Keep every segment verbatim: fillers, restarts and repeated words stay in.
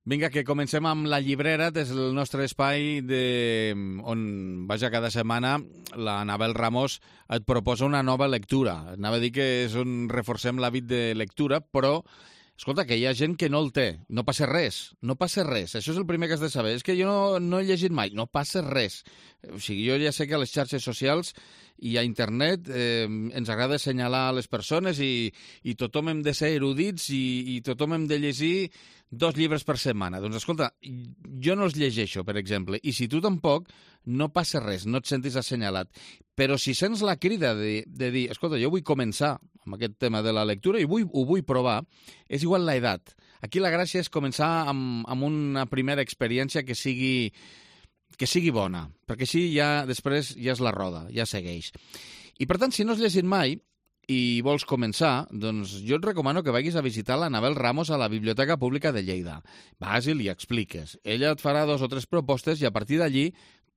Vinga, que comencem amb la llibrera des del nostre espai de... on, vaja, cada setmana la Anabel Ramos et proposa una nova lectura. Anava a dir que és on reforcem l'hàbit de lectura, però, escolta, que hi ha gent que no el té. No passa res, no passa res. Això és el primer que has de saber. És que jo no, no he llegit mai, no passa res. O sigui, jo ja sé que a les xarxes socials i a internet eh, ens agrada assenyalar les persones i, i tothom hem de ser erudits i, i tothom hem de llegir dos llibres per setmana. Doncs escolta, jo no els llegeixo, per exemple, i si tu tampoc, no passa res, no et sentis assenyalat. Però si sents la crida de, de dir, escolta, jo vull començar amb aquest tema de la lectura i vull, ho vull provar, és igual l'edat. Aquí la gràcia és començar amb, amb una primera experiència que sigui... que sigui bona, perquè així ja després ja és la roda, ja segueix. I per tant, si no has llegit mai i vols començar, doncs jo et recomano que vagis a visitar l'Anabel Ramos a la Biblioteca Pública de Lleida. Vas i li expliques. Ella et farà dos o tres propostes i a partir d'allí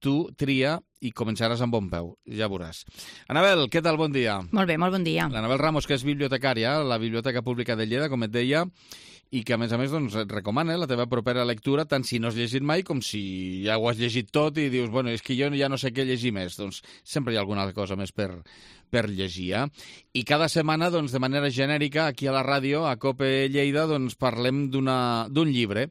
tu tria i començaràs amb bon peu. Ja veuràs. Anabel, què tal? Bon dia. Molt bé, molt bon dia. L'Anabel Ramos, que és bibliotecària a la Biblioteca Pública de Lleida, com et deia, i que, a més a més, doncs, et recomana la teva propera lectura, tant si no has llegit mai com si ja ho has llegit tot i dius, bueno, és que jo ja no sé què llegir més. Doncs sempre hi ha alguna cosa més per, per llegir. Eh? I cada setmana, doncs, de manera genèrica, aquí a la ràdio, a COPE Lleida, doncs, parlem d'un llibre.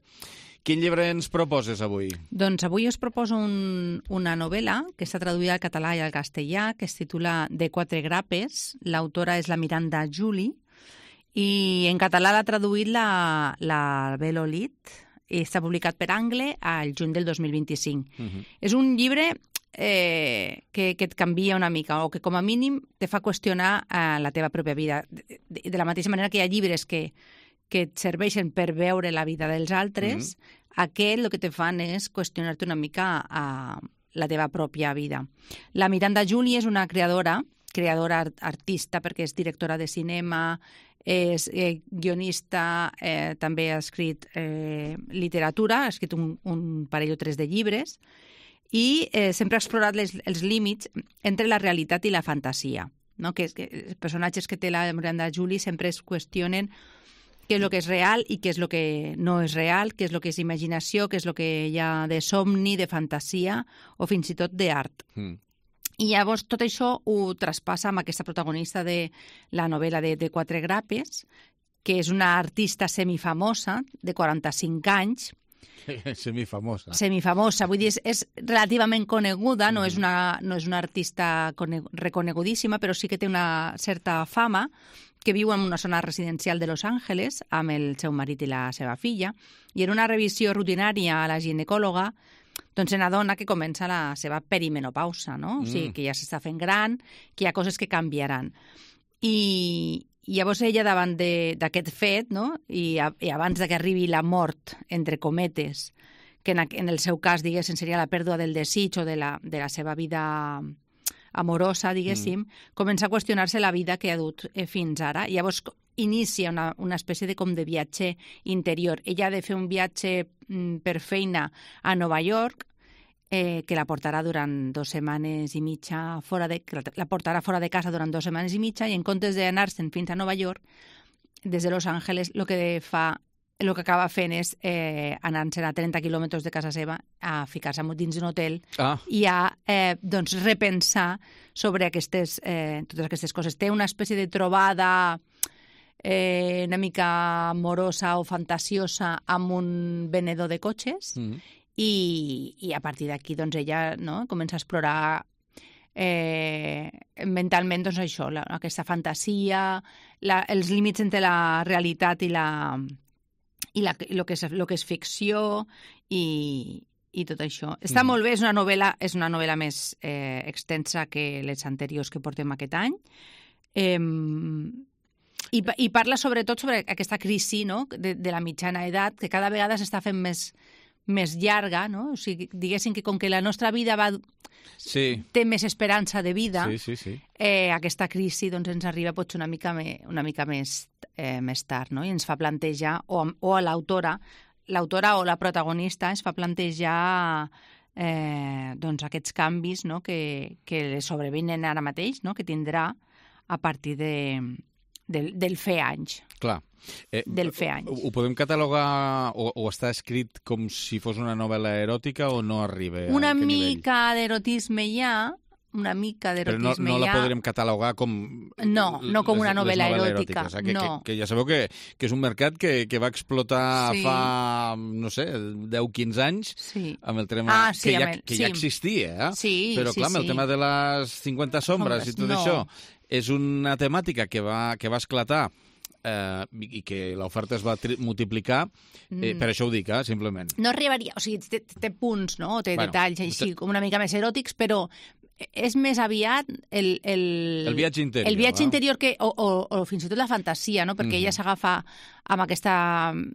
Quin llibre ens proposes avui? Doncs avui us proposo un, una novel·la que està traduïda al català i al castellà, que es titula De quatre grapes. L'autora és la Miranda July, i en català l'ha traduït la, la Bel Olid i està publicat per Angle al juny del dos mil vint-i-cinc. Uh-huh. És un llibre eh, que, que et canvia una mica o que com a mínim te fa qüestionar eh, la teva pròpia vida. De, de, de la mateixa manera que hi ha llibres que, que et serveixen per veure la vida dels altres, uh-huh. Aquest el que te fan és qüestionar-te una mica a la teva pròpia vida. La Miranda July és una creadora, creadora artista perquè és directora de cinema, és eh, guionista, eh, també ha escrit eh, literatura, ha escrit un, un parell o tres de llibres i eh, sempre ha explorat les, els límits entre la realitat i la fantasia. No? Que, que els personatges que té la Miranda July sempre es qüestionen què és el que és real i què és el que no és real, què és el que és imaginació, què és el que hi ha de somni, de fantasia o fins i tot d'art. Mm. I llavors tot això ho traspassa amb aquesta protagonista de la novel·la de, de Quatre grapes, que és una artista semifamosa de quaranta-cinc anys. Semifamosa. Semifamosa, vull dir, és, és relativament coneguda, no, mm. és una, no és una artista reconegudíssima, però sí que té una certa fama, que viu en una zona residencial de Los Angeles amb el seu marit i la seva filla, i en una revisió rutinària a la ginecòloga doncs se n'adona que comença la seva perimenopausa, no? Mm. O sigui, que ja s'està fent gran, que hi ha coses que canviaran. I, i llavors ella, davant d'aquest fet, no? I, a, i abans que arribi la mort, entre cometes, que en, en el seu cas, diguéssim, seria la pèrdua del desig o de la, de la seva vida amorosa, diguéssim, mm. comença a qüestionar-se la vida que ha dut eh, fins ara. I llavors inicia una, una espècie de com de viatge interior. Ella ha de fer un viatge mm, per feina a Nova York, eh, que la portarà durant dues setmanes i mitja fora de, que la portarà fora de casa durant dues setmanes i mitja, i en comptes d'anar-se'n fins a Nova York, des de Los Angeles, el que fa el que acaba fent és eh, anar-se'n a trenta quilòmetres de casa seva a ficar-se dins d'un hotel ah. i a eh, doncs, repensar sobre aquestes, eh, totes aquestes coses. Té una espècie de trobada eh, una mica amorosa o fantasiosa amb un venedor de cotxes mm. i, i a partir d'aquí doncs, ella no, comença a explorar eh, mentalment doncs, això, la, aquesta fantasia, la, els límits entre la realitat i la... i la, lo, que és, lo que és ficció i, i tot això. Està mm. molt bé, és una novel·la, és una novel·la més eh, extensa que les anteriors que portem aquest any. Eh, i, I parla sobretot sobre aquesta crisi, no? de, de la mitjana edat, que cada vegada s'està fent més, més llarga, no? O sigui, diguéssim que com que la nostra vida va... sí. té més esperança de vida, sí, sí, sí. Eh, aquesta crisi doncs, ens arriba potser una mica, me, una mica més, eh, més tard, no? I ens fa plantejar, o, o a l'autora, l'autora o la protagonista ens fa plantejar eh, doncs, aquests canvis, no? que, que sobrevenen ara mateix, no? que tindrà a partir de, del, del fer anys. Clar. Eh, del fer anys. Ho podem catalogar o, o està escrit com si fos una novel·la eròtica o no arriba? Una mica d'erotisme hi ha, una mica d'erotisme Però no, no la ja... podrem catalogar com... No, no com una novel·la eròtica. O sigui, que, no. que, que ja sabeu que, que és un mercat que, que va explotar sí. fa, no sé, deu o quinze anys, sí. amb el tema ah, sí, que, ja, el... que sí. ja existia. Eh? Sí, Però clar, sí, amb el sí. tema de les cinquanta sombres i tot no. això, és una temàtica que va, que va esclatar eh, i que l'oferta es va multiplicar, eh, per això ho dic, eh, simplement. No arribaria, o sigui, té, té punts, no? Té bueno, detalls així, com una mica més eròtics, però és més aviat el... El, el viatge interior. El viatge eh? interior, que, o, o, o fins i tot la fantasia, no? Perquè mm-hmm. ella s'agafa amb aquesta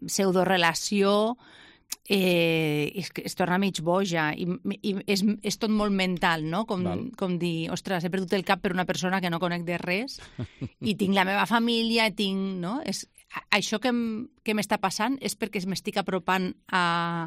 pseudorelació, eh, es, es torna mig boja i, i és, és tot molt mental, no? Com, com dir, ostres, he perdut el cap per una persona que no conec de res i tinc la meva família, tinc... No? És, això que, que m'està passant és perquè m'estic apropant a,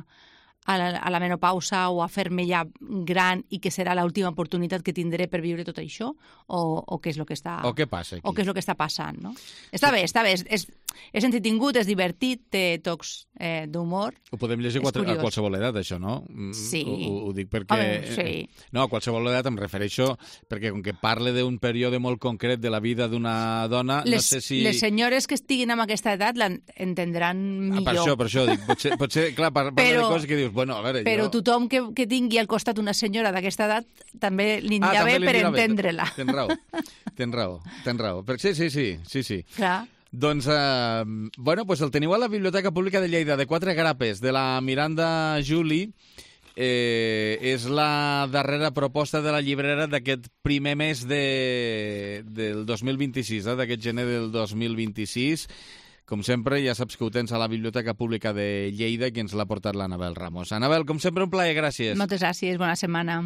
a, la, a la menopausa o a fer-me ja gran i que serà l'última oportunitat que tindré per viure tot això, o, o què és el que està... O què passa aquí? O què és el que està passant, no? Està bé, està bé, és, és, és entretingut, és divertit, té tocs eh, d'humor. Ho podem llegir a qualsevol edat, això, no? Sí. Ho, ho, ho dic perquè... Home, sí. No, a qualsevol edat em refereixo perquè com que parle d'un període molt concret de la vida d'una dona, les, no sé si... Les senyores que estiguin en aquesta edat l'entendran millor. Ah, per això, per això dic. Potser, potser clar, parla però, de coses que dius, bueno, a veure... Però jo... tothom que, que tingui al costat una senyora d'aquesta edat també li anirà ah, bé per entendre-la. Tens raó, tens raó, tens raó. Però sí, sí, sí, sí, sí. Clar. Doncs, eh, bueno, pues el teniu a la Biblioteca Pública de Lleida, de Quatre Grapes, de la Miranda Juli. Eh, és la darrera proposta de la llibrera d'aquest primer mes de, del dos mil vint-i-sis, eh, d'aquest gener del dos mil vint-i-sis. Com sempre, ja saps que ho tens a la Biblioteca Pública de Lleida, que ens l'ha portat l'Anabel Ramos. Anabel, com sempre, un plaer, gràcies. Moltes gràcies, bona setmana.